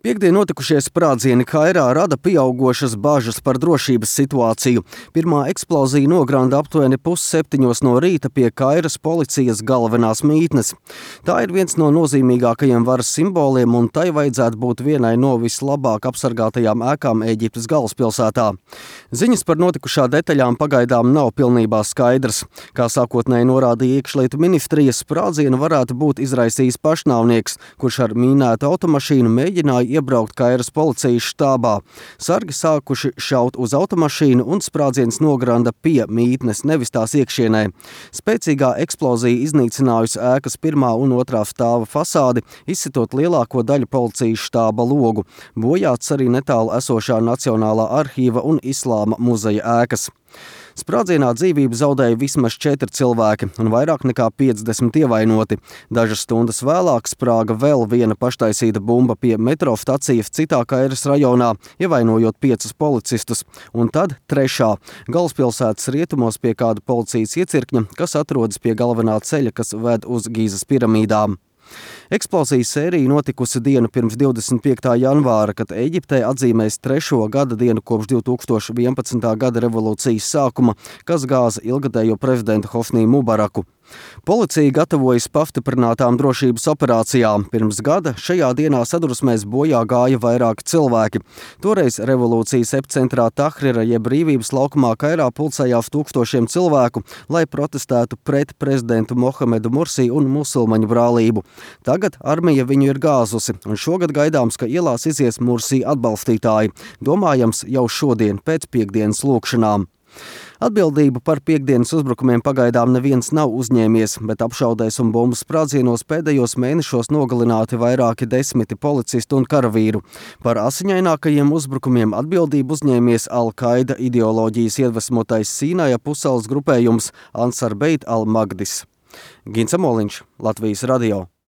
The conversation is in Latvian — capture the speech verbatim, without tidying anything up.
Piektdien notikušie sprādzieni Kairā rada pieaugošas bažas par drošības situāciju. Pirmā eksplozija nogranda aptuveni pusseptiņos no rīta pie Kairas policijas galvenās mītnes. Tā ir viens no nozīmīgākajiem varas simboliem, un tai vajadzētu būt vienai no vislabāk apsargātajām ēkām Ēģiptes galvaspilsētā. Ziņas par notikušā detaļām pagaidām nav pilnībā skaidrs. Kā sākotnēji norādīja iekšlietu ministrijas, sprādzienu varētu būt izraisījis pašnāvnieks, kurš ar mīnētu automašīnu mēģināja iebraukt Kairas policijas štābā. Sargi sākuši šaut uz automašīnu un sprādziens nogranda pie mītnes, nevis tās iekšienē. Spēcīgā eksplozija iznīcinājusi ēkas pirmā un otrā stāva fasādi, izsitot lielāko daļu policijas štāba logu. Bojāts arī netālu esošā Nacionālā arhīva un Islāma muzeja ēkas. Sprādzienā dzīvību zaudēja vismaz četri cilvēki un vairāk nekā piecdesmit ievainoti. Dažas stundas vēlāk sprāga vēl viena paštaisīta bumba pie metro stacijas citā Kairas rajonā, ievainojot piecus policistus. Un tad trešā – galvaspilsētas rietumos pie kāda policijas iecirkņa, kas atrodas pie galvenā ceļa, kas ved uz Gīzas piramīdām. Eksplozijas sērija notikusi dienu pirms divdesmit piektā janvāra, kad Ēģiptē atzīmēs trešo gada dienu kopš divi tūkstoši vienpadsmitā gada revolūcijas sākuma, kas gāza ilgadējo prezidentu Hosnī Mubaraku. Policija gatavojas pastiprinātām drošības operācijām. Pirms gada šajā dienā sadursmēs bojā gāja vairāki cilvēki. Toreiz revolūcijas epcentrā Tahrira jeb Brīvības laukumā Kairā pulcējās tūkstošiem cilvēku, lai protestētu pret prezidentu Mohamedu Mursi un musulmaņu brālību. Tagad armija viņu ir gāzusi, un šogad gaidāms, ka ielās izies Mursi atbalstītāji. Domājams jau šodien pēc piekdienas lūkšanām. Atbildību par piekdienas uzbrukumiem pagaidām neviens nav uzņēmies, bet apšaudēs un bumbu sprādzienos pēdējos mēnešos nogalināti vairāki desmiti policistu un karavīru. Par asiņainākajiem uzbrukumiem atbildību uzņēmies Al-Qaida ideoloģijas iedvesmotais Sīnaja pussalas grupējums Ansar Beit al-Magdis. Gints Amoliņš, Latvijas radio.